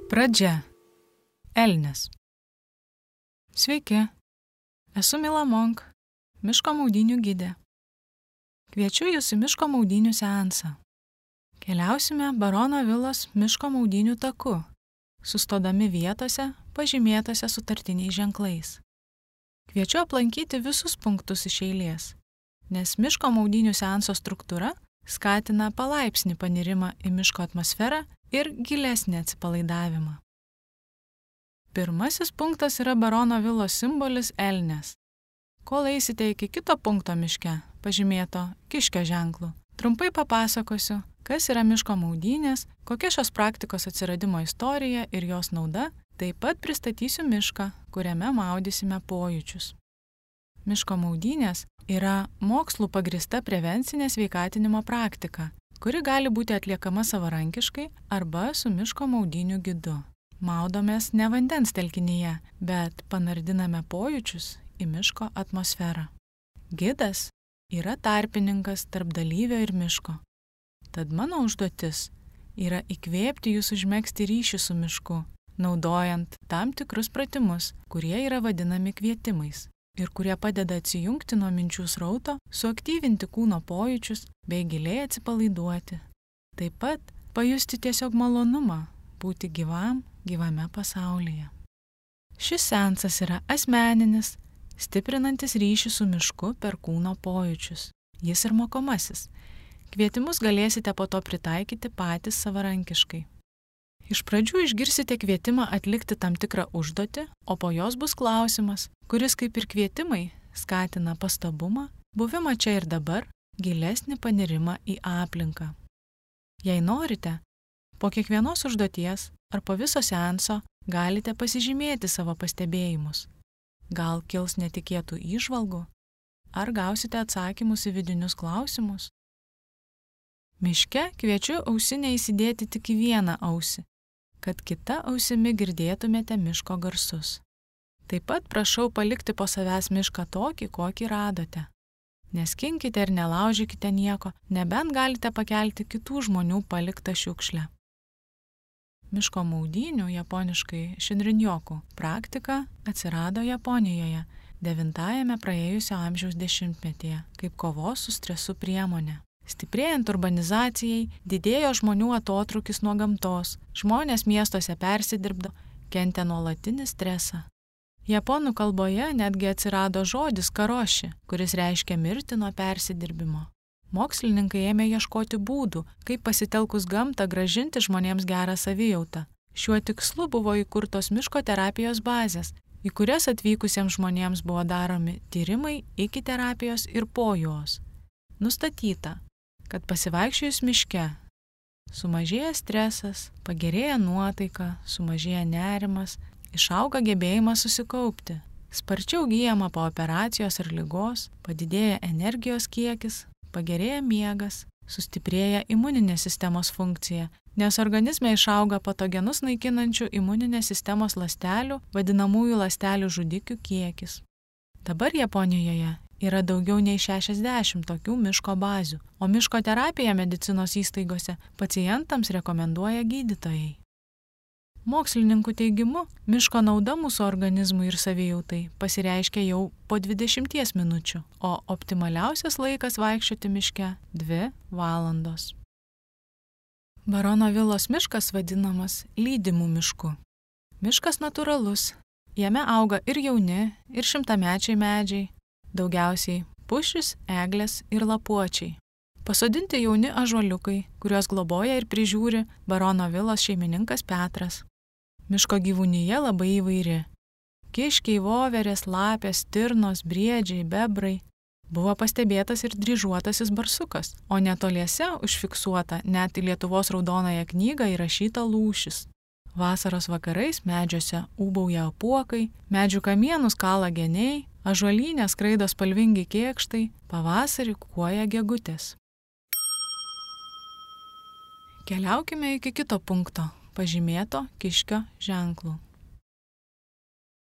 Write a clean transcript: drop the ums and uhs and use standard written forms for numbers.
Pradžia. Elnias. Sveiki, esu Mila Monk, miško maudynių gidė. Kviečiu jūs į miško maudynių seansą. Keliausime Barono vilos miško maudynių taku, sustodami vietose, pažymėtose sutartiniais ženklais. Kviečiu aplankyti visus punktus iš eilės, nes miško maudynių seanso struktūra skatina palaipsnį panirimą į miško atmosferą ir gilesnį atsipalaidavimą. Pirmasis punktas yra Barono vilos simbolis elnias. Kol eisite iki kito punkto miške, pažymėto kiškio ženklu, trumpai papasakosiu, kas yra miško maudynės, kokia šios praktikos atsiradimo istorija ir jos nauda, taip pat pristatysiu mišką, kuriame maudysime pojūčius. Miško maudynės yra mokslų pagrįsta prevencinė sveikatinimo praktika, kuri gali būti atliekama savarankiškai arba su miško maudynių gidu. Maudomės ne vandens telkinyje, bet panardiname pojūčius į miško atmosferą. Gidas yra tarpininkas tarp dalyvio ir miško. Tad mano užduotis yra įkvėpti jūs užmegzti ryšį su mišku, naudojant tam tikrus pratimus, kurie yra vadinami kvietimais ir kurie padeda atsijungti nuo minčių srauto, suaktyvinti kūno pojūčius bei giliai atsipalaiduoti. Taip pat pajusti tiesiog malonumą būti gyvame pasaulyje. Šis seansas yra asmeninis, stiprinantis ryšį su mišku per kūno pojūčius. Jis ir mokomasis. Kvietimus galėsite po to pritaikyti patys savarankiškai. Iš pradžių išgirsite kvietimą atlikti tam tikrą užduotį, o po jos bus klausimas, kuris kaip ir kvietimai skatina pastabumą, buvimą čia ir dabar, gilesnį panirimą į aplinką. Jei norite, po kiekvienos užduoties ar po viso seanso galite pasižymėti savo pastebėjimus. Gal kils netikėtų įžvalgų, ar gausite atsakymus į vidinius klausimus. Miške kviečiu ausinę įsidėti tik į vieną ausį, kad kita ausimi girdėtumėte miško garsus. Taip pat prašau palikti po savęs mišką tokį, kokį radote. Neskinkite ir nelaužykite nieko, nebent galite pakelti kitų žmonių paliktą šiukšlę. Miško maudynių, japoniškai šinrin-joku, praktika atsirado Japonijoje 9-ajame praėjusio amžiaus dešimtmetyje kaip kovos su stresu priemonė. Stiprėjant urbanizacijai, didėjo žmonių atotrūkis nuo gamtos, žmonės miestuose persidirbdo, kentė nuolatinį stresą. Japonų kalboje netgi atsirado žodis karoši, kuris reiškia mirti nuo persidirbimo. Mokslininkai ėmė ieškoti būdų, kaip pasitelkus gamtą grąžinti žmonėms gerą savijautą. Šiuo tikslu buvo įkurtos miško terapijos bazės, į kurias atvykusiems žmonėms buvo daromi tyrimai iki terapijos ir po jos. Nustatyta, kad pasivaikščiojus miške sumažėja stresas, pagerėja nuotaika, sumažėja nerimas, išauga gebėjimas susikaupti, sparčiau gyjama po operacijos ar ligos, padidėja energijos kiekis, pagerėja miegas, sustiprėja imuninės sistemos funkcija, nes organizme išauga patogenus naikinančių imuninės sistemos ląstelių, vadinamųjų ląstelių žudikių kiekis. Dabar Japonijoje yra daugiau nei 60 tokių miško bazių, o miško terapiją medicinos įstaigose pacientams rekomenduoja gydytojai. Mokslininkų teigimu, miško nauda mūsų organizmui ir savijautai pasireiškia jau po 20 minučių, o optimaliausias laikas vaikščioti miške 2 valandos. Barono vilos miškas vadinamas lydimų mišku. Miškas natūralus, jame auga ir jauni, ir šimtamečiai medžiai, daugiausiai pušys, eglės ir lapuočiai. Pasodinti jauni ąžuoliukai, kuriuos globoja ir prižiūri Barono vilos šeimininkas Petras. Miško gyvūnija labai įvairi. Kiškiai, voverės, lapės, stirnos, briedžiai, bebrai. Buvo pastebėtas ir dryžuotasis barsukas, o netoliese užfiksuota net į Lietuvos raudonąją knygą įrašyta lūšis. Vasaros vakarais medžiuose ūbauja apuokai, medžių kamienus kala geniai, ąžuolyne skraido spalvingi kėkštai, pavasarį kukuoja gegutės. Keliaukime iki kito punkto, pažymėto kiškio ženklu.